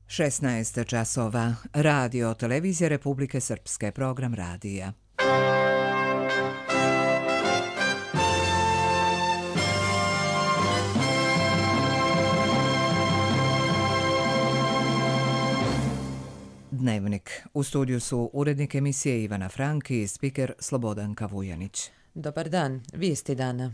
16 časova. Radio Televizije Republike Srpske. Program radija. Dnevnik. U studiju su urednik emisije Ivana Frank i spiker Slobodanka Vujanić. Dobar dan, vijesti dana.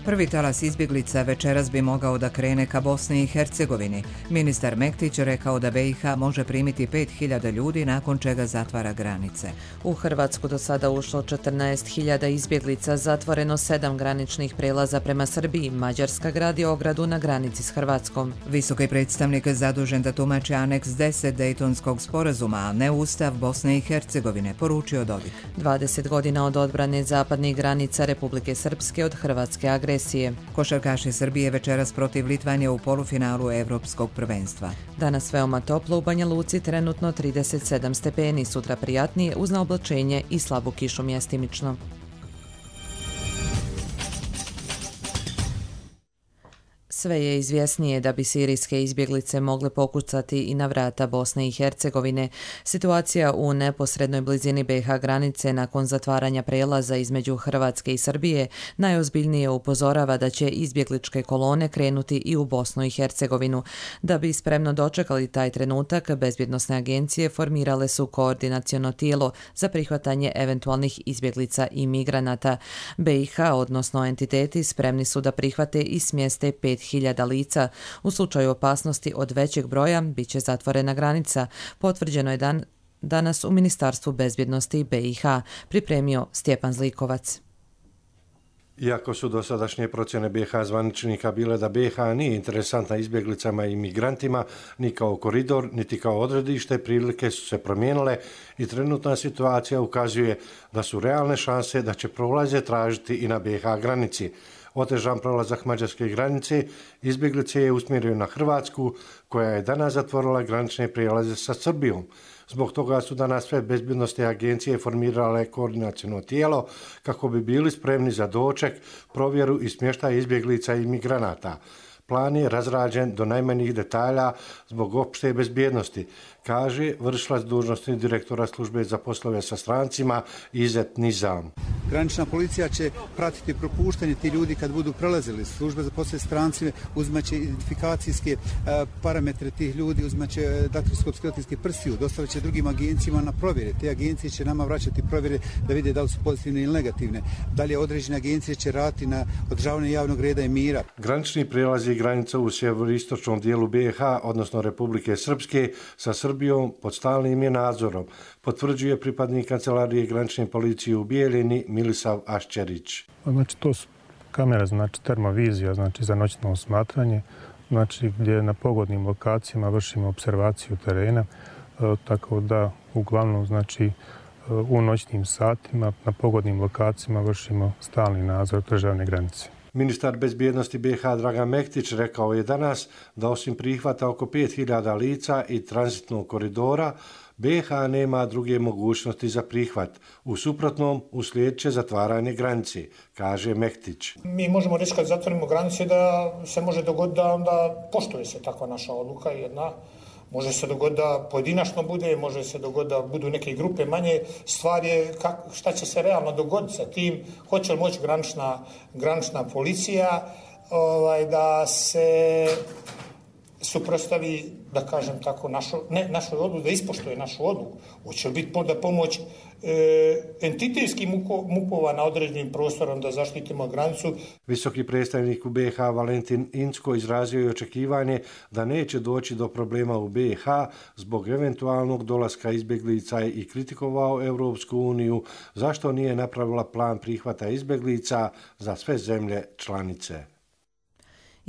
Prvi talas izbjeglica večeras bi mogao da krene ka Bosni i Hercegovini. Ministar Mektić rekao da BiH može primiti 5.000 ljudi, nakon čega zatvara granice. U Hrvatsku do sada ušlo 14.000 izbjeglica, zatvoreno 7 graničnih prelaza prema Srbiji. Mađarska gradi ogradu na granici s Hrvatskom. Visoki predstavnik zadužen da tumači aneks 10 Dejtonskog sporazuma, a ne Ustav Bosne i Hercegovine, poručio Dodik. 20 godina od odbrane zapadnih granica Republike Srpske od hrvatske agresije. Košarkaši Srbije večeras protiv Litvanije u polufinalu Evropskog prvenstva. Danas veoma toplo, u Banja Luci trenutno 37 stepeni, sutra prijatnije uz naoblačenje i slabu kišu mjestimično. Sve je izvjesnije da bi sirijske izbjeglice mogle pokucati i na vrata Bosne i Hercegovine. Situacija u neposrednoj blizini BiH granice nakon zatvaranja prelaza između Hrvatske i Srbije najozbiljnije upozorava da će izbjegličke kolone krenuti i u Bosnu i Hercegovinu. Da bi spremno dočekali taj trenutak, bezbjednosne agencije formirale su koordinaciono tijelo za prihvatanje eventualnih izbjeglica i migranata. BiH, odnosno entiteti, spremni su da prihvate i smjeste 5.000 lica. U slučaju opasnosti od većeg broja bit će zatvorena granica. Potvrđeno je danas u Ministarstvu bezbjednosti BiH, pripremio Stjepan Zlikovac. Iako su dosadašnje procjene BiH zvaničnika bile da BiH nije interesantna izbjeglicama i migrantima, ni kao koridor, niti kao odredište, prilike su se promijenile i trenutna situacija ukazuje da su realne šanse da će prolaze tražiti i na BiH granici. Otežan prolazak mađarske granice izbjeglice je usmjerio na Hrvatsku, koja je danas zatvorila granične prijelaze sa Srbijom. Zbog toga su danas sve bezbjednosne agencije formirale koordinaciono tijelo kako bi bili spremni za doček, provjeru i smještaj izbjeglica i migranata. Plan je razrađen do najmanjih detalja zbog opšte bezbjednosti, kaže vršilac dužnosti direktora službe za poslove sa strancima Izet Nizam. Granična policija će pratiti propuštanje ti ljudi kad budu prelazili. Služba za poslove strancima uzmaće identifikacijske parametre tih ljudi, uzmaće daktiloskopske prstiju, dostavit će drugim agencijama na provjere. Te agencije će nama vraćati provjere da vide da li su pozitivne ili negativne. Dalje određene agencije će raditi na održavanje javnog reda i mira. Granični prijelazi granica u sjeveroistočnom dijelu BiH, odnosno Republike Srpske, sa Srbijom pod stalnim je nadzorom, potvrđuje pripadnik kancelarije granične policije u Bijeljini Milisav Aščerić. Znači to su kamera, znači termovizija, znači za noćno osmatranje, znači gdje na pogodnim lokacijama vršimo observaciju terena, tako da uglavnom znači u noćnim satima na pogodnim lokacijama vršimo stalni nadzor državne granice. Ministar bezbjednosti BiH Dragan Mektić rekao je danas da osim prihvata oko 5.000 lica i tranzitnog koridora, BiH nema druge mogućnosti za prihvat. U suprotnom uslijedit će zatvaranje granice, kaže Mektić. Mi možemo reći kad zatvorimo granice da se može dogoditi da onda poštuje se takva naša odluka jedna. Može se dogoditi da pojedinačno bude, može se dogoditi da budu neke grupe manje. Stvar je šta će se realno dogoditi sa tim, hoće li moći granična policija da se suprotstavi, da kažem tako, našoj odluci, da ispoštuje našu odluku. Hoće li biti da pomoć entitetskih MUP-ova na određenim prostorom da zaštitimo granicu. Visoki predstavnik u BiH Valentin Incko izrazio je očekivanje da neće doći do problema u BiH zbog eventualnog dolaska izbjeglica i kritikovao Europsku uniju zašto nije napravila plan prihvata izbjeglica za sve zemlje članice.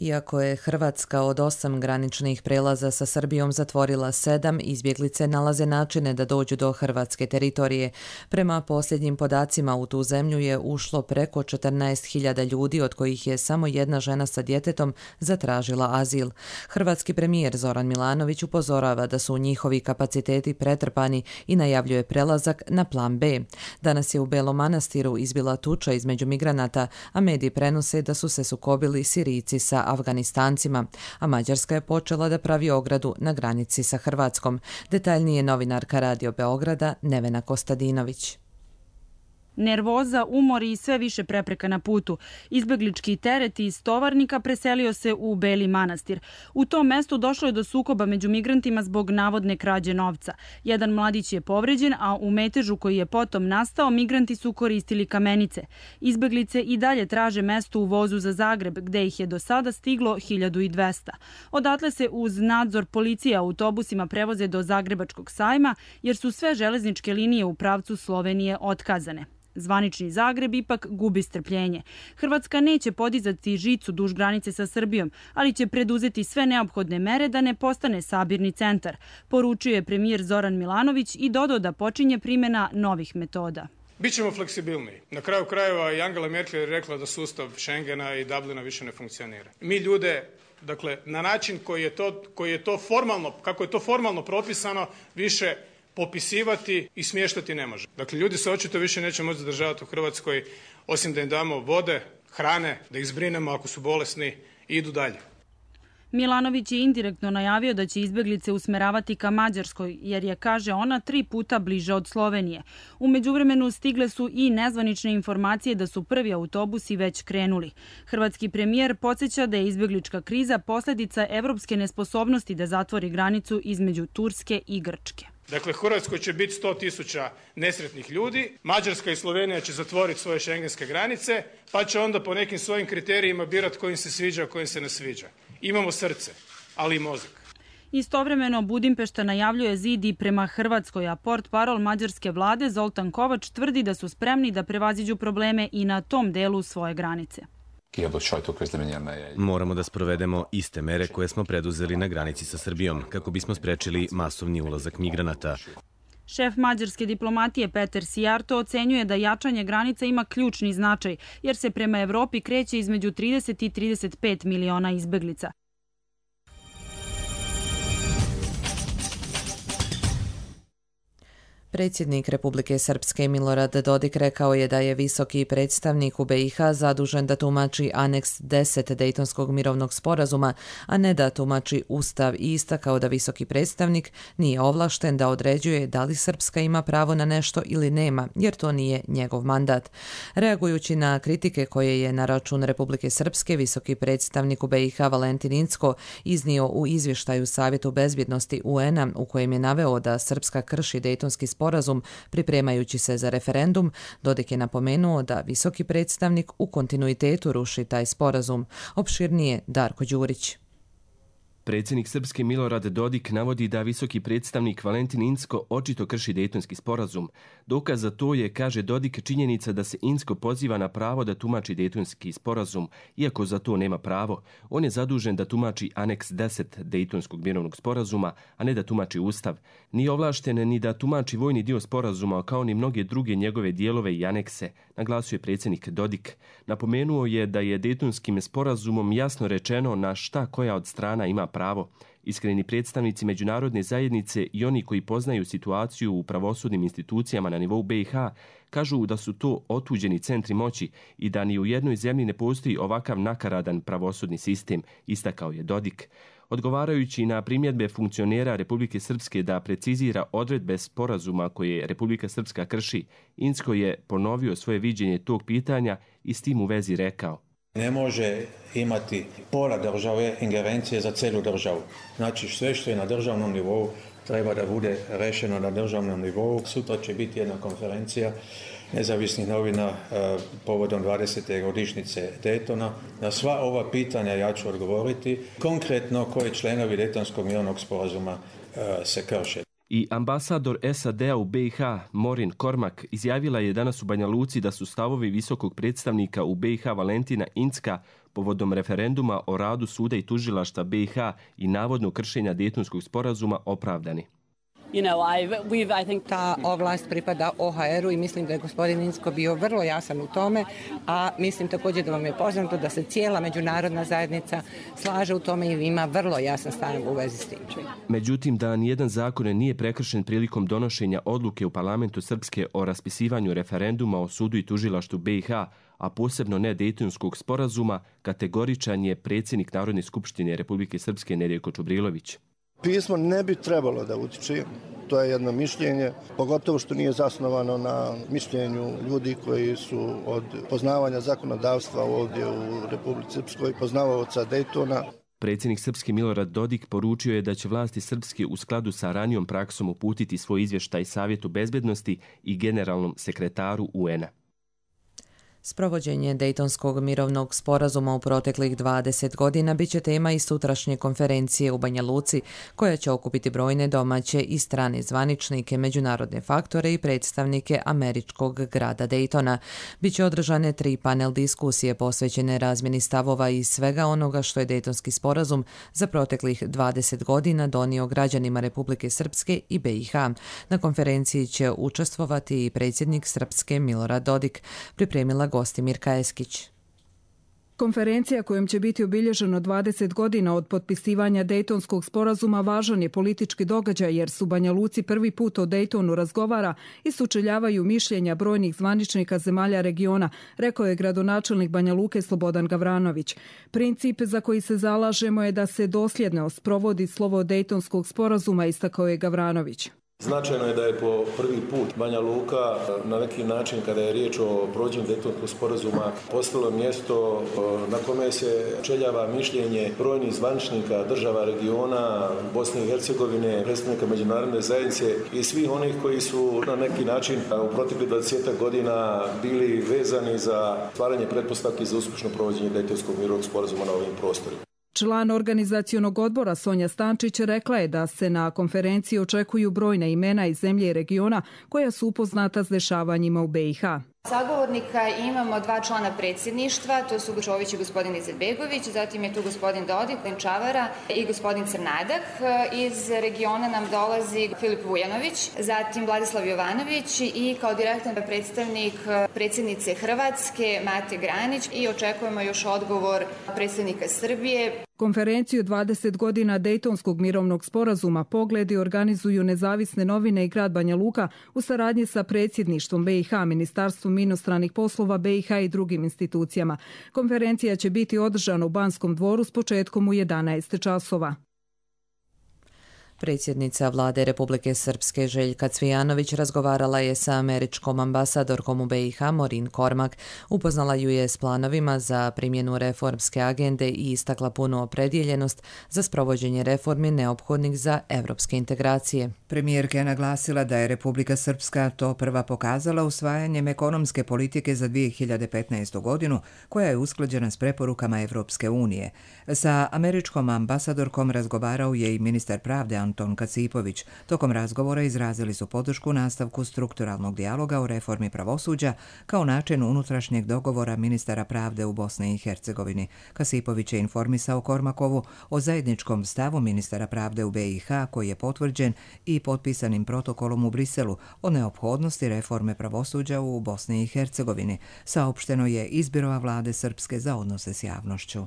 Iako je Hrvatska od 8 graničnih prelaza sa Srbijom zatvorila 7, izbjeglice nalaze načine da dođu do hrvatske teritorije. Prema posljednjim podacima u tu zemlju je ušlo preko 14.000 ljudi, od kojih je samo jedna žena sa djetetom zatražila azil. Hrvatski premijer Zoran Milanović upozorava da su njihovi kapaciteti pretrpani i najavljuje prelazak na plan B. Danas je u Belom Manastiru izbila tuča između migranata, a mediji prenose da su se sukobili Sirijci sa Afganistancima, a Mađarska je počela da pravi ogradu na granici sa Hrvatskom. Detaljnije novinarka Radio Beograda Nevena Kostadinović. Nervoza, umor i sve više prepreka na putu. Izbeglički teret iz Tovarnika preselio se u Beli Manastir. U tom mestu došlo je do sukoba među migrantima zbog navodne krađe novca. Jedan mladić je povređen, a u metežu koji je potom nastao migranti su koristili kamenice. Izbeglice i dalje traže mesto u vozu za Zagreb, gde ih je do sada stiglo 1200. Odatle se uz nadzor policije autobusima prevoze do Zagrebačkog sajma, jer su sve železničke linije u pravcu Slovenije otkazane. Zvanični Zagreb ipak gubi strpljenje. Hrvatska neće podizati žicu duž granice sa Srbijom, ali će preduzeti sve neophodne mere da ne postane sabirni centar, poručio je premijer Zoran Milanović i dodao da počinje primjena novih metoda. Bićemo fleksibilniji. Na kraju krajeva i Angela Merkel je rekla da sustav Schengena i Dublina više ne funkcionira. Mi ljude, dakle, na način koji je to formalno, kako je to formalno propisano, više popisivati i smještati ne može. Dakle, ljudi se očito više neće moći zadržavati u Hrvatskoj, osim da im damo vode, hrane, da ih zbrinemo ako su bolesni i idu dalje. Milanović je indirektno najavio da će izbeglice usmeravati ka Mađarskoj, jer je, kaže ona, 3 puta bliže od Slovenije. U međuvremenu stigle su i nezvanične informacije da su prvi autobusi već krenuli. Hrvatski premijer podsjeća da je izbeglička kriza posljedica evropske nesposobnosti da zatvori granicu između Turske i Grčke. Dakle, u Hrvatskoj će biti 100.000 nesretnih ljudi, Mađarska i Slovenija će zatvoriti svoje šengenske granice, pa će onda po nekim svojim kriterijima birati kojim se sviđa, kojim se ne sviđa. Imamo srce, ali i mozak. Istovremeno Budimpešta najavljuje zid i prema Hrvatskoj, a portparol mađarske vlade Zoltan Kovač tvrdi da su spremni da prevaziđu probleme i na tom delu svoje granice. Moramo da sprovedemo iste mere koje smo preduzeli na granici sa Srbijom, kako bismo sprečili masovni ulazak migranata. Šef mađarske diplomatije Peter Sijarto ocenjuje da jačanje granica ima ključni značaj, jer se prema Evropi kreće između 30 i 35 miliona izbeglica. Predsjednik Republike Srpske Milorad Dodik rekao je da je visoki predstavnik u BiH zadužen da tumači aneks 10 Dejtonskog mirovnog sporazuma, a ne da tumači Ustav, i istakao da visoki predstavnik nije ovlašten da određuje da li Srpska ima pravo na nešto ili nema, jer to nije njegov mandat. Reagujući na kritike koje je na račun Republike Srpske visoki predstavnik u BiH Valentin Incko iznio u izvještaju Savjetu bezbjednosti UN-a, u kojem je naveo da Srpska krši Dejtonski sporazum pripremajući se za referendum, Dodik je napomenuo da visoki predstavnik u kontinuitetu ruši taj sporazum. Opširnije Darko Đurić. Predsjednik Srpske Milorad Dodik navodi da visoki predstavnik Valentin Incko očito krši Dejtonski sporazum. Dokaz za to je, kaže Dodik, činjenica da se Incko poziva na pravo da tumači Dejtonski sporazum, iako za to nema pravo. On je zadužen da tumači aneks 10 Dejtonskog mirovnog sporazuma, a ne da tumači Ustav. Nije ovlašten ni da tumači vojni dio sporazuma, kao ni mnoge druge njegove dijelove i anekse, naglasio je predsjednik Dodik. Napomenuo je da je Dejtonskim sporazumom jasno rečeno na šta koja od strana ima pravo. Iskreni predstavnici međunarodne zajednice i oni koji poznaju situaciju u pravosudnim institucijama na nivou BiH kažu da su to otuđeni centri moći i da ni u jednoj zemlji ne postoji ovakav nakaradan pravosudni sistem, istakao je Dodik. Odgovarajući na primjedbe funkcionera Republike Srpske da precizira odredbe sporazuma koje Republika Srpska krši, Incko je ponovio svoje viđenje tog pitanja i s tim u vezi rekao: Ne može imati pola države ingerencije za celu državu. Znači sve što je na državnom nivou treba da bude rešeno na državnom nivou. Sutra će biti jedna konferencija nezavisnih novina povodom 20. godišnjice Daytona. Na sva ova pitanja ja ću odgovoriti. Konkretno koji članovi Dejtonskog mirovnog sporazuma se krše. I ambasador SAD-a u BiH, Maureen Cormack, izjavila je danas u Banja Luci da su stavovi visokog predstavnika u BiH Valentina Incka povodom referenduma o radu suda i tužilaštva BiH i navodnog kršenja Dejtonskog sporazuma opravdani. Ta ovlast pripada OHR-u i mislim da je gospodin Incko bio vrlo jasan u tome, a mislim također da vam je poznato da se cijela međunarodna zajednica slaže u tome i ima vrlo jasan stav u vezi s tim. Međutim, da nijedan zakon nije prekršen prilikom donošenja odluke u parlamentu Srpske o raspisivanju referenduma o sudu i tužilaštvu BiH, a posebno ne Dejtonskog sporazuma, kategoričan je predsjednik Narodne skupštine Republike Srpske Nedjeljko Čubrilović. Pismo ne bi trebalo da utiče, to je jedno mišljenje, pogotovo što nije zasnovano na mišljenju ljudi koji su od poznavanja zakonodavstva ovdje u Republici Srpskoj, poznavaoca Dejtona. Predsjednik Srpske Milorad Dodik poručio je da će vlasti Srpske u skladu sa ranijom praksom uputiti svoj izvještaj Savjetu bezbednosti i generalnom sekretaru UN-a. Sprovođenje Dejtonskog mirovnog sporazuma u proteklih 20 godina bit će tema i sutrašnje konferencije u Banja Luci, koja će okupiti brojne domaće i strane zvaničnike, međunarodne faktore i predstavnike američkog grada Dejtona. Biće održane 3 panel diskusije posvećene razmjeni stavova i svega onoga što je Dejtonski sporazum za proteklih 20 godina donio građanima Republike Srpske i BiH. Na konferenciji će učestvovati i predsjednik Srpske Milorad Dodik, pripremila Gostimirka Eskić. Konferencija kojom će biti obilježeno 20 godina od potpisivanja Dejtonskog sporazuma važan je politički događaj jer su Banja Luci prvi put o Dejtonu razgovara i sučeljavaju mišljenja brojnih zvaničnika zemalja regiona, rekao je gradonačelnik Banja Luke Slobodan Gavranović. Princip za koji se zalažemo je da se dosljedno sprovodi slovo Dejtonskog sporazuma, istakao je Gavranović. Značajno je da je po prvi put Banja Luka na neki način, kada je riječ o provođenju Dejtonskog sporazuma, postalo mjesto na kome se čeljava mišljenje brojnih zvaničnika država regiona, Bosne i Hercegovine, predstavnika međunarodne zajednice i svih onih koji su na neki način u proteklih 20 godina bili vezani za stvaranje pretpostavki za uspješno provođenje Dejtonskog mirovnog sporazuma na ovim prostorima. Član organizacionog odbora Sonja Stančić rekla je da se na konferenciji očekuju brojna imena iz zemlje i regiona koja su upoznata s dešavanjima u BiH. Sagovornika imamo 2 člana predsjedništva, to su Čović i gospodin Izetbegović, zatim je tu gospodin Dodik, Čavara i gospodin Crnadak. Iz regiona nam dolazi Filip Vujanović, zatim Vladislav Jovanović i kao direktan predstavnik predsjednice Hrvatske Mate Granić i očekujemo još odgovor predsjednika Srbije. Konferenciju 20 godina Dejtonskog mirovnog sporazuma Pogledi organizuju nezavisne novine i grad Banja Luka u saradnji sa predsjedništvom BiH, Ministarstvom inostranih poslova BiH i drugim institucijama. Konferencija će biti održana u Banskom dvoru s početkom u 11 časova. Predsjednica Vlade Republike Srpske Željka Cvijanović razgovarala je sa američkom ambasadorkom u BiH Morin Kormak, upoznala ju je s planovima za primjenu reformske agende i istakla punu opredjeljenost za sprovođenje reformi neophodnih za evropske integracije. Premijerka je naglasila da je Republika Srpska to prva pokazala usvajanjem ekonomske politike za 2015. godinu, koja je usklađena s preporukama Evropske unije. Sa američkom ambasadorkom razgovarao je i ministar pravde Anton Kacipović. Tokom razgovora izrazili su podršku nastavku strukturalnog dijaloga o reformi pravosuđa kao način unutrašnjeg dogovora ministara pravde u Bosni i Hercegovini. Kacipović je informisao Kormakovu o zajedničkom stavu ministara pravde u BiH koji je potvrđen i potpisanim protokolom u Briselu o neophodnosti reforme pravosuđa u Bosni i Hercegovini, saopšteno je iz Biroa vlade Srpske za odnose s javnošću.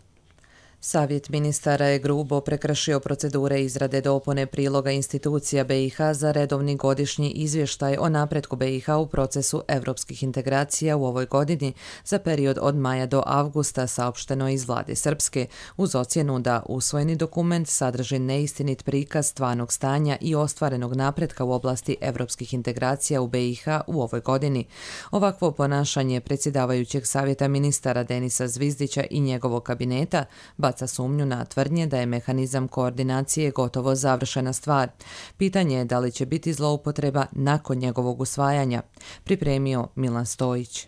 Savjet ministara je grubo prekršio procedure izrade dopune priloga institucija BiH za redovni godišnji izvještaj o napretku BiH u procesu evropskih integracija u ovoj godini za period od maja do avgusta, saopšteno iz vlade Srpske, uz ocjenu da usvojeni dokument sadrži neistinit prikaz stvarnog stanja i ostvarenog napretka u oblasti evropskih integracija u BiH u ovoj godini. Ovakvo ponašanje predsjedavajućeg savjeta ministara Denisa Zvizdića i njegovog kabineta baca sumnju na tvrdnje da je mehanizam koordinacije gotovo završena stvar. Pitanje je da li će biti zloupotreba nakon njegovog usvajanja, pripremio Milan Stojić.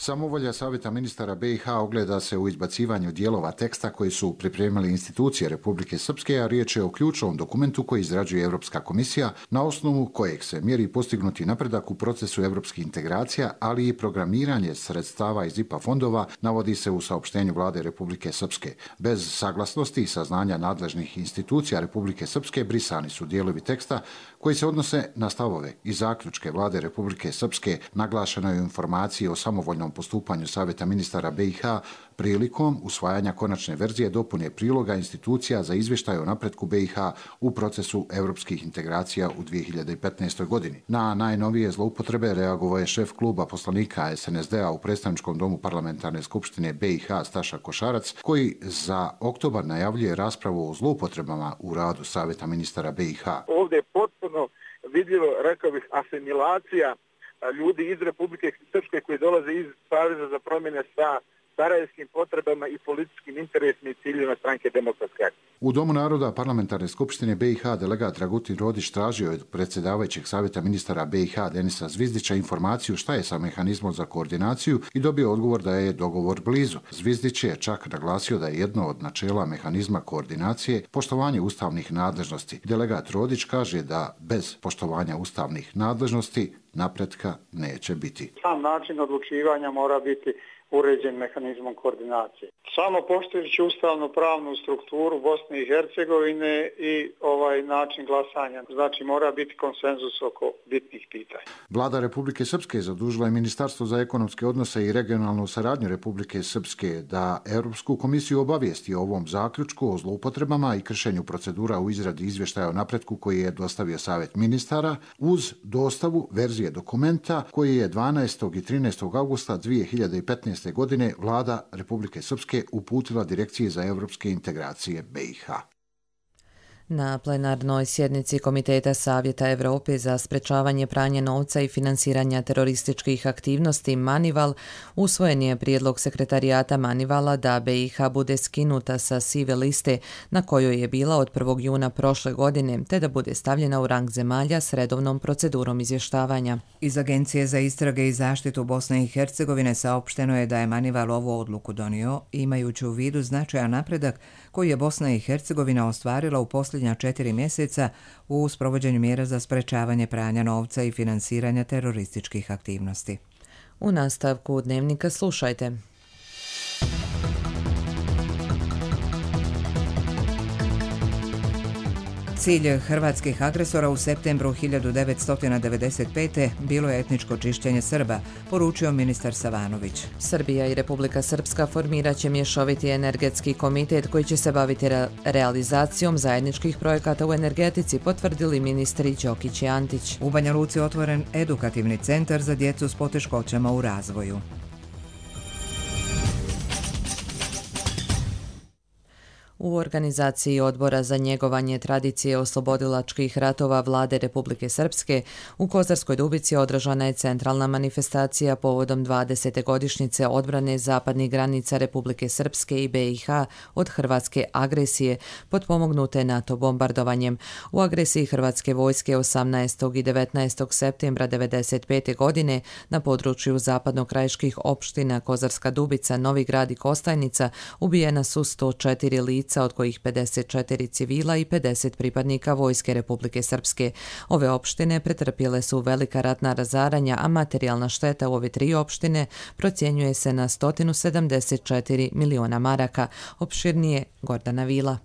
Samovolja Savjeta ministara BiH ogleda se u izbacivanju dijelova teksta koji su pripremili institucije Republike Srpske, a riječ je o ključnom dokumentu koji izrađuje Europska komisija, na osnovu kojeg se mjeri postignuti napredak u procesu europskih integracija, ali i programiranje sredstava iz IPA fondova, navodi se u saopštenju vlade Republike Srpske. Bez saglasnosti i saznanja nadležnih institucija Republike Srpske brisani su dijelovi teksta koji se odnose na stavove i zaključke vlade Republike Srpske. Naglašeno je u informaciji o samovoljnom postupanju Savjeta ministara BiH prilikom usvajanja konačne verzije dopune priloga institucija za izvještaj o napretku BiH u procesu europskih integracija u 2015. godini. Na najnovije zloupotrebe reagovao je šef kluba poslanika SNSD-a u predstavničkom domu parlamentarne skupštine BiH Staša Košarac, koji za oktobar najavljuje raspravu o zloupotrebama u radu Savjeta ministara BiH. Ovdje je potpuno vidljivo, rekao bih, asimilacija ljudi iz Republike Srpske koji dolaze iz Saveza za promjene sa sarajevskim potrebama i političkim interesima i ciljima stranke Demokratske akcije. U Domu naroda parlamentarne skupštine BiH delegat Dragutin Rodić tražio od predsjedavajućeg Savjeta ministara BiH Denisa Zvizdića informaciju šta je sa mehanizmom za koordinaciju i dobio odgovor da je dogovor blizu. Zvizdić je čak naglasio da je jedno od načela mehanizma koordinacije poštovanje ustavnih nadležnosti. Delegat Rodić kaže da bez poštovanja ustavnih nadležnosti napretka neće biti. Sam način odlučivanja mora biti uređen mehanizmom koordinacije. Samo poštujući ustavnu pravnu strukturu Bosne i Hercegovine i način glasanja. Znači mora biti konsenzus oko bitnih pitanja. Vlada Republike Srpske zadužila je Ministarstvo za ekonomske odnose i regionalnu saradnju Republike Srpske da Europsku komisiju obavijesti o ovom zaključku o zloupotrebama i kršenju procedura u izradi izvještaja o napretku koji je dostavio Savjet ministara uz dostavu verzije dokumenta koji je 12. i 13. augusta 2015. godine vlada Republike Srpske uputila Direkciji za europske integracije BiH. Na plenarnoj sjednici Komiteta Savjeta Europe za sprečavanje pranja novca i finansiranja terorističkih aktivnosti Manival usvojen je prijedlog sekretarijata Manivala da BiH bude skinuta sa sive liste na kojoj je bila od 1. juna prošle godine, te da bude stavljena u rang zemalja s redovnom procedurom izvještavanja. Iz Agencije za istrage i zaštitu Bosne i Hercegovine saopšteno je da je Manival ovu odluku donio, imajući u vidu značajan napredak koji je Bosna i Hercegovina ostvarila u posljednja 4 mjeseca u sprovođenju mjera za sprečavanje pranja novca i finansiranja terorističkih aktivnosti. U nastavku dnevnika slušajte. Cilj hrvatskih agresora u septembru 1995. bilo je etničko čišćenje Srba, poručio ministar Savanović. Srbija i Republika Srpska formirat će mješoviti energetski komitet koji će se baviti realizacijom zajedničkih projekata u energetici, potvrdili ministri Đokić i Antić. U Banja Luci otvoren edukativni centar za djecu s poteškoćama u razvoju. U organizaciji Odbora za njegovanje tradicije oslobodilačkih ratova Vlade Republike Srpske u Kozarskoj Dubici održana je centralna manifestacija povodom 20. godišnjice odbrane zapadnih granica Republike Srpske i BiH od hrvatske agresije potpomognute NATO bombardovanjem. U agresiji hrvatske vojske 18. i 19. septembra 1995. godine na području zapadnokrajiških opština Kozarska Dubica, Novi Grad i Kostajnica ubijena su 104 lica, od kojih 54 civila i 50 pripadnika Vojske Republike Srpske. Ove opštine pretrpjele su velika ratna razaranja, a materijalna šteta u ove 3 opštine procjenjuje se na 174 miliona maraka. Opširnije Gordana Vila.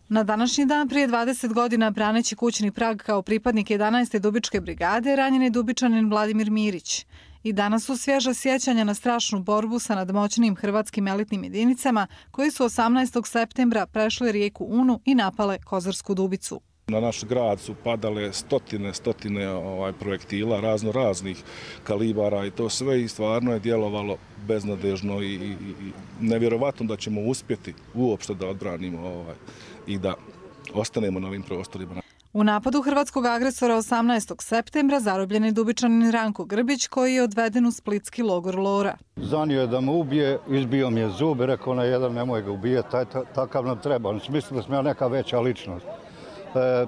Na današnji dan prije 20 godina, braneći kućni prag kao pripadnik 11. Dubičke brigade, ranjen je Dubičanin Vladimir Mirić. I danas su svježa sjećanja na strašnu borbu sa nadmoćnim hrvatskim elitnim jedinicama koji su 18. septembra prešli rijeku Unu i napale Kozarsku Dubicu. Na naš grad su padale stotine projektila raznih kalibara i to sve i stvarno je djelovalo beznadežno i nevjerovatno da ćemo uspjeti uopšte da odbranimo i da ostanemo na ovim prostorima. U napadu hrvatskog agresora 18. septembra zarobljen je Dubičanin Ranko Grbić koji je odveden u splitski logor Lora. Zanio je da me ubije, izbio mi je zube, rekao na jedan nemoj ga ubijeti, takav nam treba. Mislili da sam ja neka veća ličnost.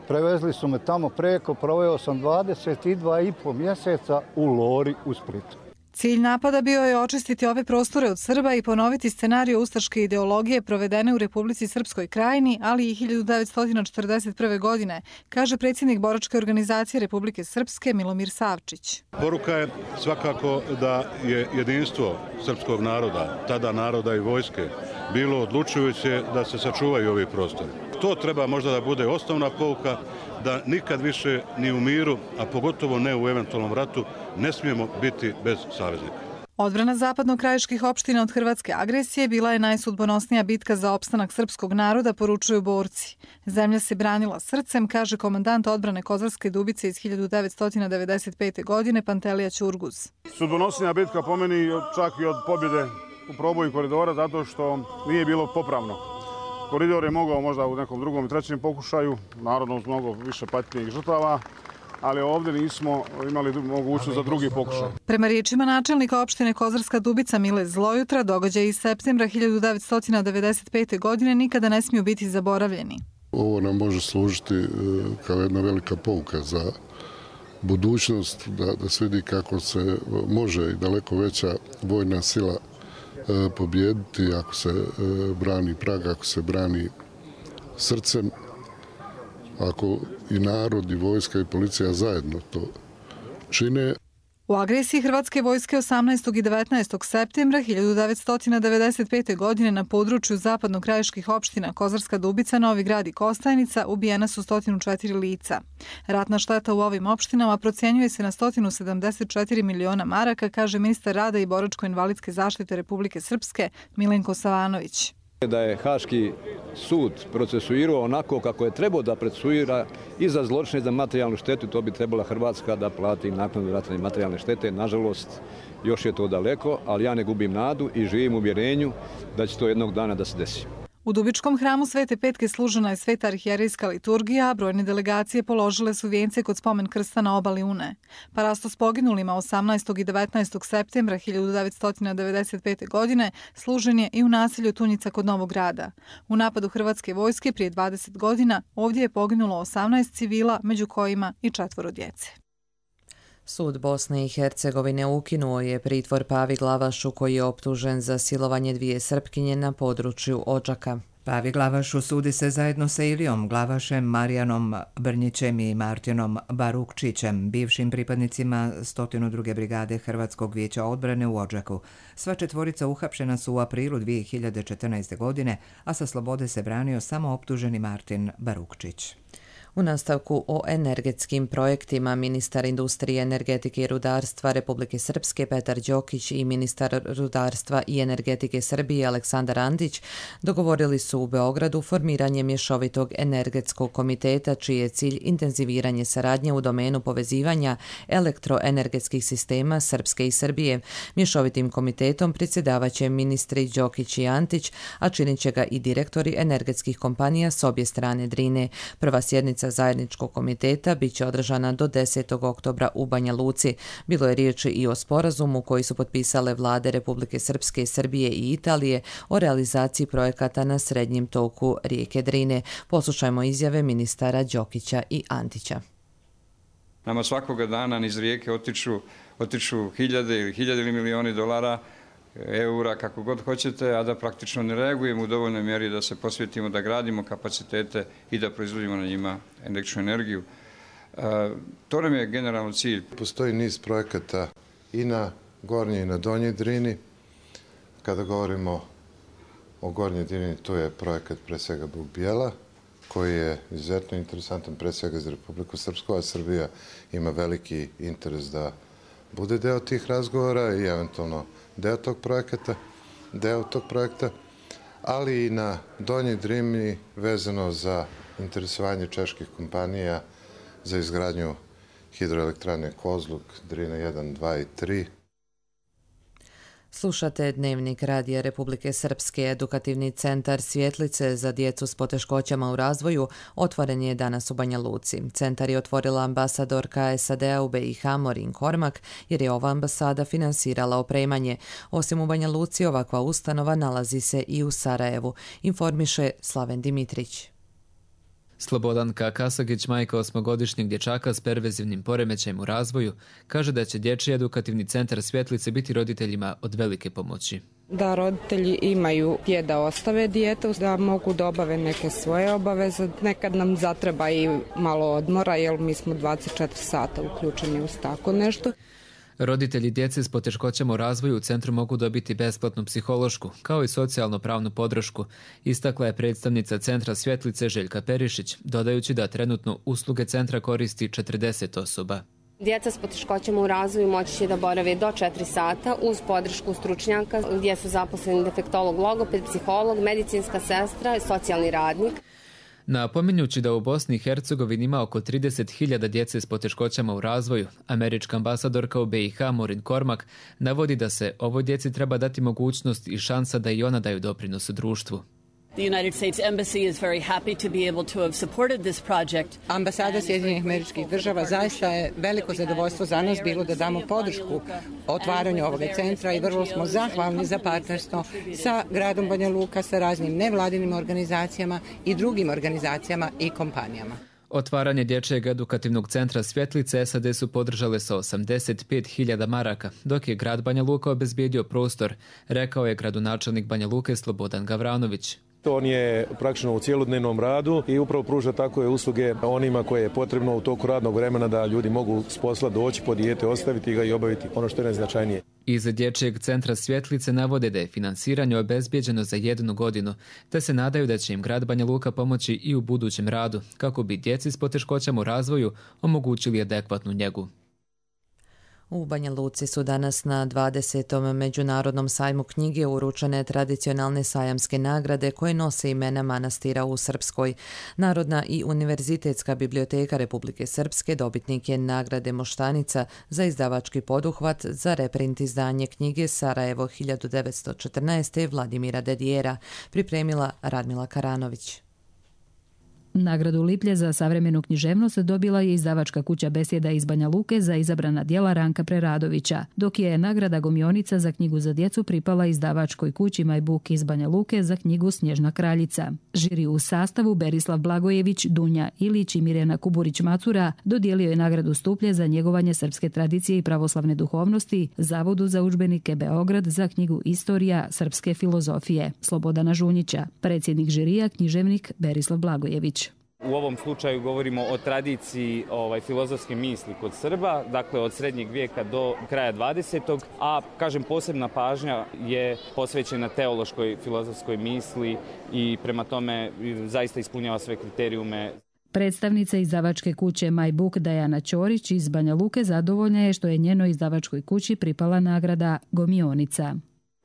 Prevezli su me tamo preko, proveo sam 22,5 mjeseca u Lori u Splitu. Cilj napada bio je očistiti ove prostore od Srba i ponoviti scenariju ustaške ideologije provedene u Republici Srpskoj Krajini, ali i 1941. godine, kaže predsjednik boračke organizacije Republike Srpske Milomir Savčić. Poruka je svakako da je jedinstvo srpskog naroda, tada naroda i vojske, bilo odlučujuće da se sačuvaju ovi prostori. To treba možda da bude osnovna pouka, da nikad više ni u miru, a pogotovo ne u eventualnom ratu, ne smijemo biti bez saveznika. Odbrana zapadno-krajiških opština od hrvatske agresije bila je najsudbonosnija bitka za opstanak srpskog naroda, poručuju borci. Zemlja se branila srcem, kaže komandant odbrane Kozarske Dubice iz 1995. godine Pantelija Ćurguz. Sudbonosnija bitka po meni čak i od pobjede u proboju koridora, zato što nije bilo popravno. Koridor je mogao možda u nekom drugom i trećem pokušaju, naravno uz mnogo više patnje i žrtava, ali ovdje nismo imali mogućnost za drugi pokušaj. Prema riječima načelnika opštine Kozarska Dubica Mile Zlojutra, događaji iz septembra 1995. godine nikada ne smiju biti zaboravljeni. Ovo nam može služiti kao jedna velika pouka za budućnost, da se vidi kako se može i daleko veća vojna sila pobijediti ako se brani Prag, ako se brani srcem, ako i narod, i vojska, i policija zajedno to čine. U agresiji hrvatske vojske 18. i 19. septembra 1995. godine na području zapadno-krajiških opština Kozarska Dubica, Novi Grad i Kostajnica ubijena su 104 lica. Ratna šteta u ovim opštinama procjenjuje se na 174 miliona maraka, kaže ministar rada i boračko-invalidske zaštite Republike Srpske Milenko Savanović. Da je Haški sud procesuirao onako kako je trebao da procesuira i za zločine i za materijalnu štetu, to bi trebala Hrvatska da plati naknadu ratne materijalne štete. Nažalost, još je to daleko, ali ja ne gubim nadu i živim u uvjerenju da će to jednog dana da se desi. U Dubičkom hramu Svete Petke služena je sveta arhijerejska liturgija, a brojne delegacije položile su vijence kod spomen krsta na obali Une. Parasto s poginulima 18. i 19. septembra 1995. godine služen je i u naselju Tunjica kod Novog Grada. U napadu hrvatske vojske prije 20 godina ovdje je poginulo 18 civila, među kojima i 4 djece. Sud Bosne i Hercegovine ukinuo je pritvor Pavi Glavašu koji je optužen za silovanje 2 Srpkinje na području Odžaka. Pavi Glavašu sudi se zajedno sa Ilijom Glavašem, Marijanom Brnjićem i Martinom Barukčićem, bivšim pripadnicima 102. brigade Hrvatskog vijeća odbrane u Odžaku. Sva 4 uhapšena su u aprilu 2014. godine, a sa slobode se branio samo optuženi Martin Barukčić. U nastavku o energetskim projektima ministar industrije, energetike i rudarstva Republike Srpske Petar Đokić i ministar rudarstva i energetike Srbije Aleksandar Antić dogovorili su u Beogradu formiranje mješovitog energetskog komiteta čiji je cilj intenziviranje saradnje u domenu povezivanja elektroenergetskih sistema Srpske i Srbije. Mješovitim komitetom predsjedavaće ministri Đokić i Antić, a činit će ga i direktori energetskih kompanija s obje strane Drine. Prva sjednica zajedničkog komiteta bit će održana do 10. oktobra u Banja Luci. Bilo je riječi i o sporazumu koji su potpisale vlade Republike Srpske, Srbije i Italije o realizaciji projekata na srednjem toku rijeke Drine. Poslušajmo izjave ministara Đokića i Antića. Nama svakoga dana niz rijeke otiču hiljade ili milioni dolara, eura, kako god hoćete, a da praktično ne reagujemo u dovoljnoj mjeri da se posvetimo, da gradimo kapacitete i da proizvodimo na njima električnu energiju. To nam je generalno cilj. Postoji niz projekata i na Gornjoj i na Donjoj Drini. Kada govorimo o Gornjoj Drini, to je projekat pre svega Buk Bijela, koji je izuzetno interesantan pre svega za Republiku Srpsku, a Srbija ima veliki interes da bude deo tih razgovora i eventualno deo tog projekta, ali i na Donjoj Drini vezano za interesovanje čeških kompanija za izgradnju hidroelektrane Kozluk, Drina 1, 2 i 3. Slušate Dnevnik Radija Republike Srpske. Edukativni centar Svjetlice za djecu s poteškoćama u razvoju otvoren je danas u Banja Luci. Centar je otvorila ambasadorka SAD-a u BiH Morin Kormak jer je ova ambasada finansirala opremanje. Osim u Banja Luci, ovakva ustanova nalazi se i u Sarajevu, informiše Slaven Dimitrić. Slobodanka Kasagić, majka 8-godišnjeg dječaka s pervezivnim poremećajem u razvoju, kaže da će Dječji edukativni centar Svjetlice biti roditeljima od velike pomoći. Da roditelji imaju gdje da ostave dijete, da mogu da obave neke svoje obaveze. Nekad nam zatreba i malo odmora, jer mi smo 24 sata uključeni uz tako nešto. Roditelji djece s poteškoćama u razvoju u centru mogu dobiti besplatnu psihološku, kao i socijalno-pravnu podršku, istakla je predstavnica centra Svjetlice Željka Perišić, dodajući da trenutno usluge centra koristi 40 osoba. Djeca s poteškoćama u razvoju moći će da borave do 4 sata uz podršku stručnjaka gdje su zaposleni defektolog, logoped, psiholog, medicinska sestra i socijalni radnik. Napominjući da u Bosni i Hercegovini ima oko 30.000 djece s poteškoćama u razvoju, američka ambasadorka u BiH Maureen Cormack navodi da se ovoj djeci treba dati mogućnost i šansa da i ona daju doprinos u društvu. Ambasada Sjedinjenih Američkih Država zaista je veliko zadovoljstvo za nas bilo da damo podršku otvaranju ovog centra i vrlo smo zahvalni za partnerstvo sa gradom Banja Luka, sa raznim nevladinim organizacijama i drugim organizacijama i kompanijama. Otvaranje Dječjeg edukativnog centra Svjetlice SAD su podržale sa 85.000 maraka, dok je grad Banja Luka obezbijedio prostor, rekao je gradonačelnik Banja Luke Slobodan Gavranović. On je praktično u cijelodnevnom radu i upravo pruža takve usluge onima koje je potrebno u toku radnog vremena da ljudi mogu s posla doći po dijete, ostaviti ga i obaviti ono što je najznačajnije. Iz Dječjeg centra Svjetlice navode da je finansiranje obezbijeđeno za 1 godinu, te se nadaju da će im grad Banja Luka pomoći i u budućem radu, kako bi djeci s poteškoćama u razvoju omogućili adekvatnu njegu. U Banja Luci su danas na 20. Međunarodnom sajmu knjige uručene tradicionalne sajamske nagrade koje nose imena manastira u Srpskoj. Narodna i univerzitetska biblioteka Republike Srpske dobitnik je nagrade Moštanica za izdavački poduhvat za reprint izdanje knjige Sarajevo 1914. Vladimira Dedijera, pripremila Radmila Karanović. Nagradu Liplje za savremenu književnost dobila je izdavačka kuća Besjeda iz Banja Luke za izabrana djela Ranka Preradovića, dok je nagrada Gomionica za knjigu za djecu pripala izdavačkoj kući Majbuk iz Banja Luke za knjigu Snježna kraljica. Žiri u sastavu Berislav Blagojević, Dunja Ilić i Mirjana Kuburić-Macura dodijelio je nagradu Stuplje za njegovanje srpske tradicije i pravoslavne duhovnosti, Zavodu za udžbenike Beograd za knjigu Istorija srpske filozofije Slobodana Žunjića, predsjednik žirija književnik Berislav Blagojević. U ovom slučaju govorimo o tradiciji filozofske misli kod Srba, dakle od srednjeg vijeka do kraja 20. a kažem posebna pažnja je posvećena teološkoj filozofskoj misli i prema tome zaista ispunjava sve kriterijume. Predstavnica izdavačke kuće Majbuk Dajana Ćorić iz Banja Luke zadovoljna je što je njenoj izdavačkoj kući pripala nagrada Gomionica.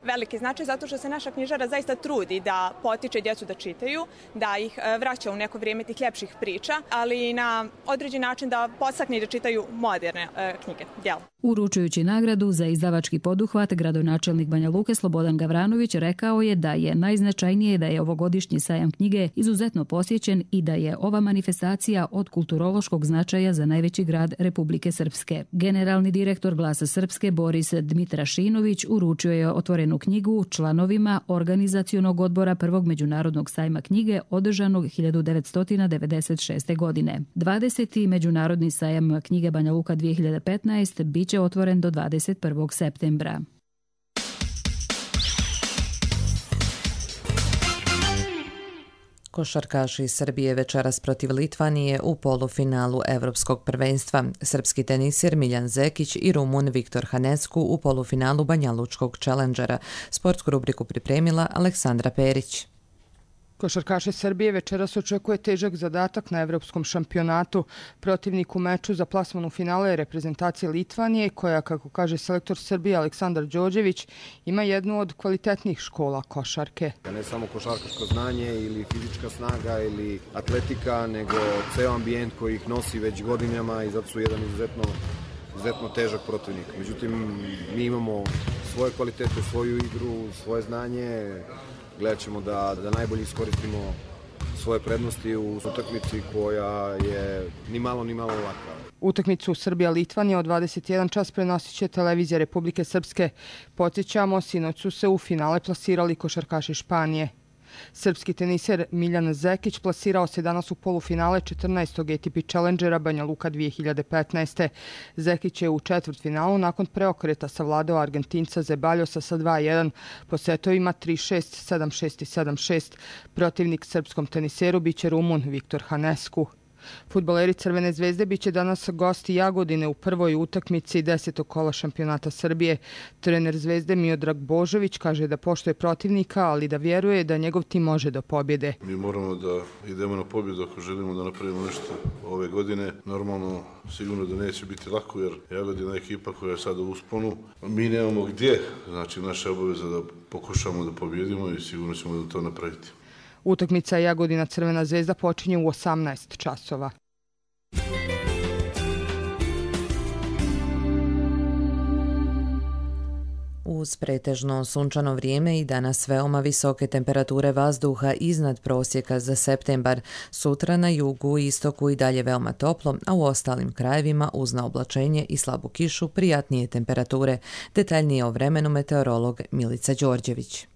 Veliki značaj zato što se naša knjižara zaista trudi da potiče djecu da čitaju, da ih vraća u neko vrijeme tih ljepših priča, ali i na određen način da podstakne da čitaju moderne knjige, djela. Uručujući nagradu za izdavački poduhvat, gradonačelnik Banja Luke Slobodan Gavranović rekao je da je najznačajnije da je ovogodišnji sajam knjige izuzetno posjećen i da je ova manifestacija od kulturološkog značaja za najveći grad Republike Srpske. Generalni direktor Glasa Srpske Boris Dmitrašinović uručio je otvorenu knjigu članovima organizacionog odbora prvog međunarodnog sajma knjige održanog 1996. godine. 20. međunarodni sajam knjige Banja Luka 2015 bit će otvoren do 21. septembra. Košarkaši iz Srbije večeras protiv Litvanije u polufinalu Evropskog prvenstva. Srpski tenisir Miljan Zekić i Rumun Viktor Hanescu u polufinalu Banjalučkog Challengera. Sportsku rubriku pripremila Aleksandra Perić. Košarkaši Srbije večeras očekuje težak zadatak na evropskom šampionatu. Protivnik u meču za plasman u finale je reprezentacija Litvanije, koja, kako kaže selektor Srbije Aleksandar Đorđević, ima jednu od kvalitetnih škola košarke. Ne samo košarkaško znanje ili fizička snaga ili atletika, nego ceo ambijent koji ih nosi već godinama i zato su jedan izuzetno težak protivnik. Međutim, mi imamo svoje kvalitete, svoju igru, svoje znanje. Gledat ćemo da najbolje iskoristimo svoje prednosti u utakmici koja je ni malo laka. Utakmicu Srbija-Litvanija od 21 čas prenosit će televizija Republike Srpske. Podsjećamo, sinoć su se u finale plasirali košarkaši Španije. Srpski teniser Miljan Zekić plasirao se danas u polufinale 14. ATP Challengera Banja Luka 2015. Zekić je u četvrtfinalu nakon preokreta savladao Argentinca Zebaljosa sa 2-1 po setovima 3-6, 7-6 i 7-6. Protivnik srpskom teniseru biće Rumun Viktor Hanescu. Fudbaleri Crvene zvezde biće danas gosti Jagodine u prvoj utakmici 10. kola šampionata Srbije. Trener Zvezde Miodrag Božović kaže da poštuje protivnika, ali da vjeruje da njegov tim može do pobjede. Mi moramo da idemo na pobjedu ako želimo da napravimo nešto ove godine. Normalno, sigurno da neće biti lako jer Jagodina je ekipa koja je sada u usponu. Mi nemamo gdje, znači naša obaveza da pokušamo da pobjedimo i sigurno ćemo da to napraviti. Utakmica Jagodina Crvena zvezda počinje u 18 časova. Uz pretežno sunčano vrijeme i danas veoma visoke temperature vazduha iznad prosjeka za septembar. Sutra na jugu i istoku i dalje veoma toplo, a u ostalim krajevima uz naoblačenje i slabu kišu prijatnije temperature. Detaljnije o vremenu meteorolog Milica Đorđević.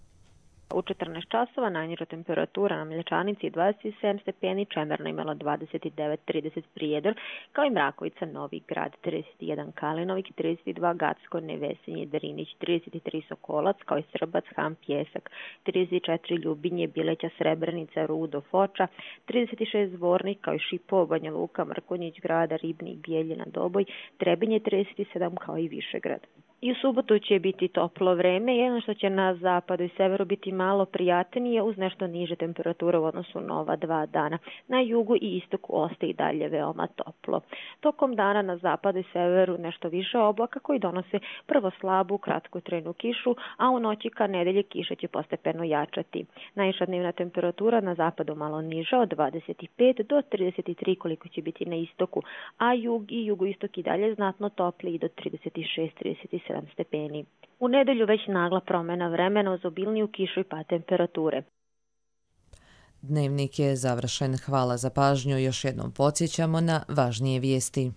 U 14 časova najniža temperatura na Mlječanici 27 stepeni, Čemerna imala 29-30 Prijedor, kao i Mrakovica, Novi Grad 31, Kalinovik 32, Gacko, Nevesinje, Drinić 33, Sokolac, kao i Srbac, Ham, Pjesak 34, Ljubinje, Bileća, Srebrenica, Rudo, Foča 36, Zvornik, kao i Šipovo, Banja Luka, Mrkonjić, Grada, Ribnik, Bijeljina, Doboj, Trebinje 37, kao i Višegrad. I u subotu će biti toplo vreme, jedno što će na zapadu i severu biti malo prijatnije uz nešto niže temperature u odnosu na ova 2 dana. Na jugu i istoku ostaje i dalje veoma toplo. Tokom dana na zapadu i severu nešto više oblaka koji donose prvo slabu, kratkotrajnu kišu, a u noći ka nedelji kiša će postepeno jačati. Najviša dnevna temperatura na zapadu malo niža od 25 do 33 koliko će biti na istoku, a jug i jugoistok i dalje znatno topli do 36-37 stepeni. U nedelju već nagla promjena vremena uz obilniju kišu i pad temperature. Dnevnik je završen. Hvala za pažnju. Još jednom podsjećamo na važnije vijesti.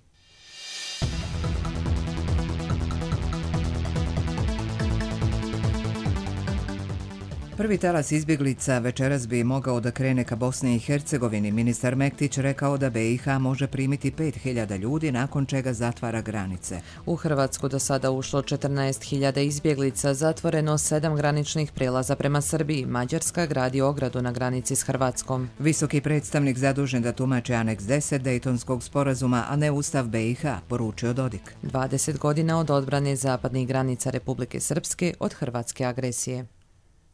Prvi talas izbjeglica večeras bi mogao da krene ka Bosni i Hercegovini. Ministar Mektić rekao da BiH može primiti 5.000 ljudi, nakon čega zatvara granice. U Hrvatsku do sada ušlo 14.000 izbjeglica, zatvoreno 7 graničnih prijelaza prema Srbiji. Mađarska gradi ogradu na granici s Hrvatskom. Visoki predstavnik zadužen da tumači aneks 10 Dejtonskog sporazuma, a ne Ustav BiH, poručio Dodik. 20 godina od odbrane zapadnih granica Republike Srpske od hrvatske agresije.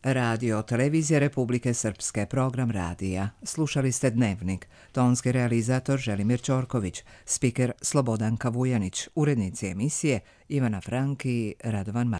Radio Televizija Republike Srpske, program radija. Slušali ste Dnevnik. Tonski realizator Želimir Ćorković, spiker Slobodanka Vujanić, urednici emisije Ivana Franki i Radovan Marković.